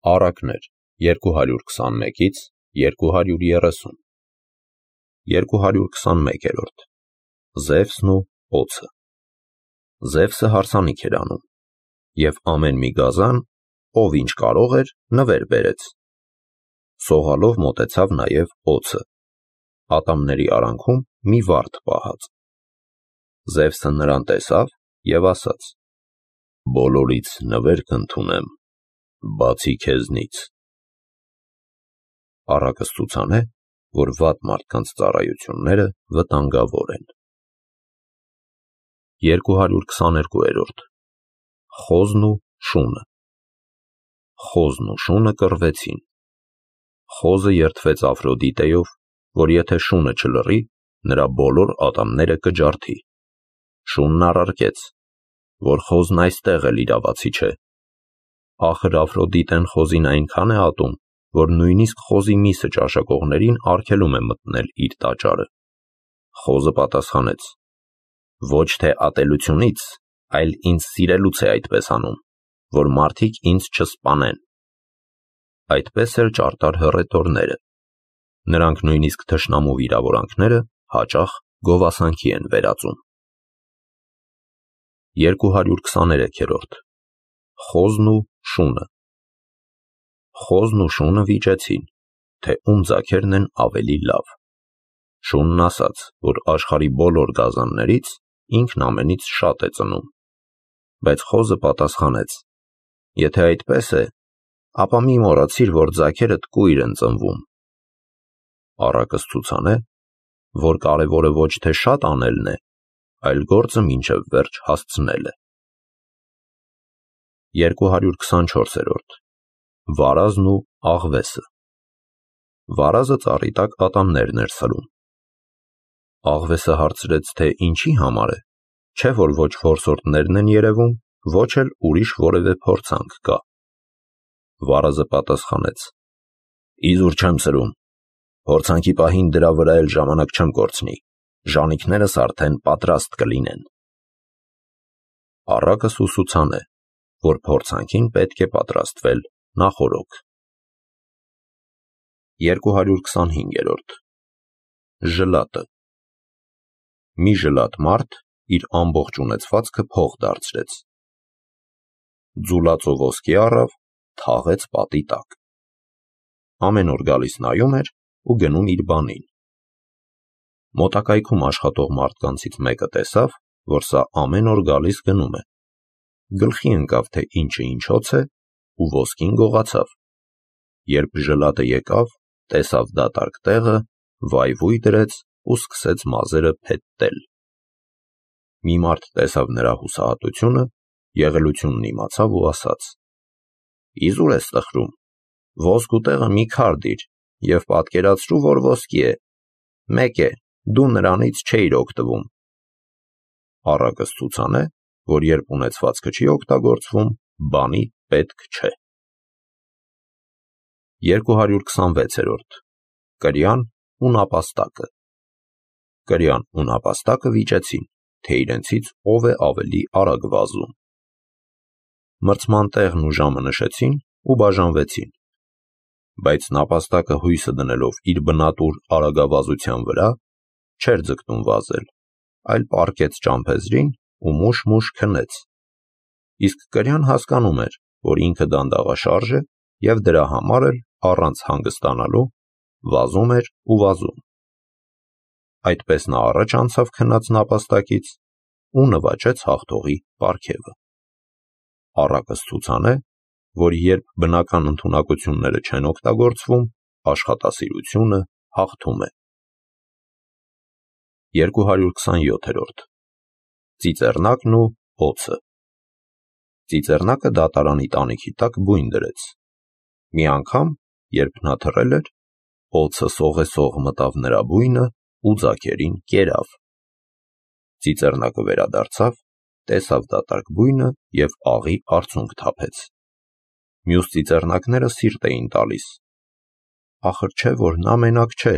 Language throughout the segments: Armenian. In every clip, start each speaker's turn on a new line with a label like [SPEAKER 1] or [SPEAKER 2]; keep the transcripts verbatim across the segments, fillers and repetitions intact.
[SPEAKER 1] Առակներ երկու հարյուր քսանմեկից երկու հարյուր երեսուն երկու հարյուր քսանմեկերորդ Զևսն ու օձը Զևսը հարսանիք էր անում, և ամեն մի գազան, ով ինչ կարող էր, նվեր բերեց։ Սողալով մոտեցավ նաև օձը, ատամների արանքում մի վարդ պահած։ Զևսը նրան տեսավ և ասաց. «Բոլորից նվեր կընդունեմ, բացի քեզնից»։ Առակը ցուցան է, որ վատ մարդկանց ծառայությունները վտանգավոր են։ երկու հարյուր քսաներկուերորդ Խոզն ու շունը Խոզն ու շունը կռվեցին։ Խոզը երդվեց Աֆրոդիտեով, որ եթե շունը չլռի, նրա բոլոր ատամները կջարդի։ Շունն առարկեց, որ խոզն այստեղ էլ իրավացի չէ։ Ախր Աֆրոդիտեն խոզին այնքան է ատում, որ նույնիսկ խոզի միսը ճաշակողներին արգելում է մտնել իր տաճարը։ Խոզը պատասխանեց. «Ոչ թե ատելությունից, այլ ինձ սիրելուց է այդպես անում, որ մարդիկ ինձ չսպանեն»։ Այդպես էլ ճարտար հռետորները։ Նրանք նույնիսկ թշնամու վիրավորանքները հաճախ գովասանքի են վերածում։ երկու հարյուր քսաներեքերորդ Խոզն ու շունը Խոզն ու շունը վիճեցին, թե ում ձագերն են ավելի լավ։ Շունն ասաց, որ աշխարհի բոլոր գազաններից ինքն ամենից շատ է ծնում։ Բայց խոզը պատասխանեց. «Եթե այդպես է, ապա մի մոռացիր, որ ձագերդ կույր են ծնվում»։ Առակը ցուցան է, որ կարևորը ոչ թե շատ անելն է, այլ գործը մինչև վերջ հասցնելը։ երկու հարյուր քսանչորսերորդ Վարազն ու աղվեսը Վարազը ծառի տակ ատամներն էր սլում։ Աղվեսը հարցրեց, թե ինչի համար է, չէ՞ որ ոչ որսորդներն են երևում, ոչ էլ ուրիշ որևէ փորձանք կա։ Վարազը պատասխանեց. «Իզուր չեմ սրում, փորձանքի պահին դրա վրա էլ ժամանակ չեմ կորցնի, ժանիքներս արդեն պատրաստ կլինեն»։ Առակը սուսուցան է, որ փորձանքին պետք է պատրաստվել նախօրոք։ երկու հարյուր քսանհինգերորդ Ժլատը Մի ժլատ մարդ իր ամբողջ ունեցվածքը փող դարձրեց։ Ձուլածո ոսկի առավ, թաղեց պատի տակ։ Ամեն օր գալիս նայում էր ու գնում իր բանին։ Մոտակայքում աշխատող մարդկանցից մեկը տեսավ, որ սա ամեն օր գալիս գնում է։ Գլխի ընկավ, թե ինչը ինչոց է, ու ոսկին գողացավ։ Երբ ժլատը եկավ, տեսավ դատարկ տեղը, վայվույ դրեց ու սկսեց մազերը փետտել։ Մի մարդ տեսավ նրա հուսահատությունը, եղելությունն իմացավ ու ասաց. «Իզուր ես տխրում, ոսկու տեղը մի քար դիր և պատկերացրու, որ ոսկի է, մեկ է, դու նրանից չէիր օգտվում»։ Առակը ցուցան է, որ երբ ունեցվածքը չի օգտագործվում, բանի պետք չէ։ երկու հարյուր քսանվեցերորդ Կրյան ու նապաստակը Կրյան ու նապաստակը վիճեցին, թե իրենցից ով է ավելի արագ վազում։ Մրցման տեղն ու ժամը նշեցին ու բաժանվեցին։ Բայց նապաստակը հույսը դնելով իր բնատուր արագավազության վրա, չէր ձգտում վազել, այլ պառկեց ճամփեզրին ու մուշ-մուշ քնեց։ Իսկ կրյան հասկանում էր, որ ինքը դանդաղաշարժ է և դրա համար էլ, առանց հանգստանալու, վազում էր ու վազում։ Այդպես նա առաջ անցավ քնած նապաստակից ու նվաճեց հաղթողի պարգևը։ Առակը ցուցան է, որ երբ բնական ընդունակությունները չեն օգտագործվում, աշխատասիրությունը հաղթում է։ երկու հարյուր քսանյոթերորդ Ծիծեռնակն ու օձը Ծիծեռնակը դատարանի տանիքի տակ բույն դրեց։ Մի անգամ, երբ նա թռել էր, օձը սողեսող մտավ նրա բույնը ու ձագերին կերավ։ Ծիծեռնակը վերադարձավ, տեսավ դատարկ բույնը և աղի արցունք թափեց։ Մյուս ծիծեռնակները սիրտ էին տալիս. ախր չէ՞ որ նա մենակ չէ,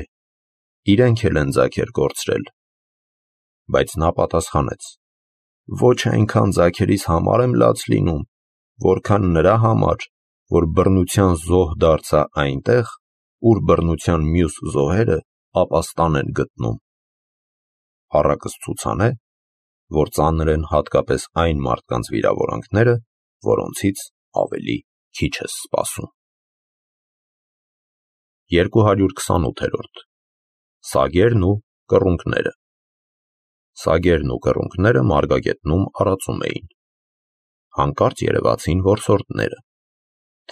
[SPEAKER 1] իրենք էլ են ձագեր կորցրել։ Բայց նա պատասխանեց. ոչ այնքան ձագերիս համար եմ լաց լինում, որքան նրա համար, որ բռնության զոհ դարձա այնտեղ, ուր բռնության մյուս զոհերը ապաստան են գտնում։ Առակս ցուցանե, որ ծանր են հատկապես այն մարդկանց վիրավորանքները, որոնցից ավելի քիչ ես սպասում։ երկու հարյուր քսանութերորդ Սագերն ու կռունկները։ Սագերն ու կռունկները մարգագետնում արածում էին։ Հանկարծ երևացին որսորդները։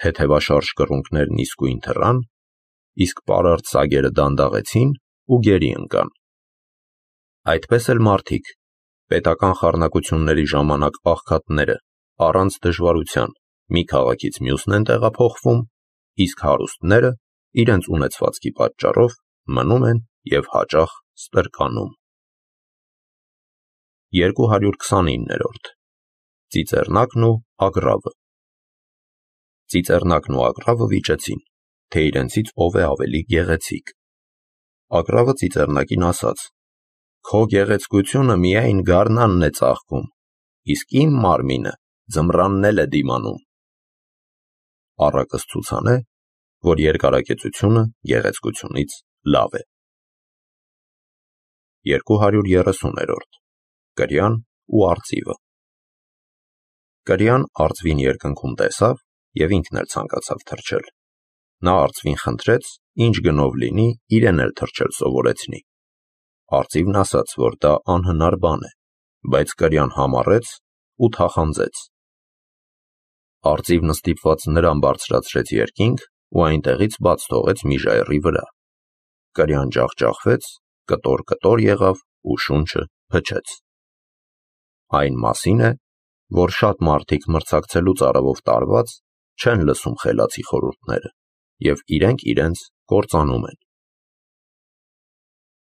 [SPEAKER 1] Թեթևաշարժ կռունկներն իսկույն թռան, իսկ պարարտ սագերը դանդաղեցին ու գերի ընկան։ Այդպես էլ մարդիկ, պետական խառնակությունների ժամանակ աղքատները, առանց դժվարության մի քաղաքից մյուսն են տեղափոխվում, իսկ հարուստները իրենց ունեցվածքի պատճառով մնում են և հաճախ ստրկանում։ երկու հարյուր քսանիններորդ Ծիծեռնակն ու ագռավը։ Ծիծեռնակն ու ագռավը վիճեցին, թե իրենցից ով է ավելի գեղեցիկ։ Ագռավը ծիծեռնակին ասաց. «Քո գեղեցկությունը միայն գարնանն է ծաղկում, իսկ իմ մարմինը ձմռանն էլ է դիմանում»։ Առակս ցուցանե, որ երկարակեցությունը գեղեցկությունից լավ է։ երկու հարյուր երեսուներորդ Կրյան ու արծիվը։ Կրյան արծվին երկնքում տեսավ և ինքն էլ ցանկացավ թռչել։ Նա արծվին խնդրեց, ինչ գնով լինի, իրեն էլ թռչել սովորեցնի։ Արծիվն ասաց, որ դա անհնար բան է, բայց կրյան համառեց ու թախանձեց։ Արծիվն ստիպված նրան բարձրացրեց երկինք ու այնտեղից բաց թողեց մի ժայռի վրա։ Կրյան ջախջախվեց, կտոր-կտոր եղավ ու շունչը փչեց։ Այն մասին է, որ շատ մարդիկ մրցակցելու ծարավով տարված չեն լսում խելացի խորհուրդները և իրենք իրենց կործանում են։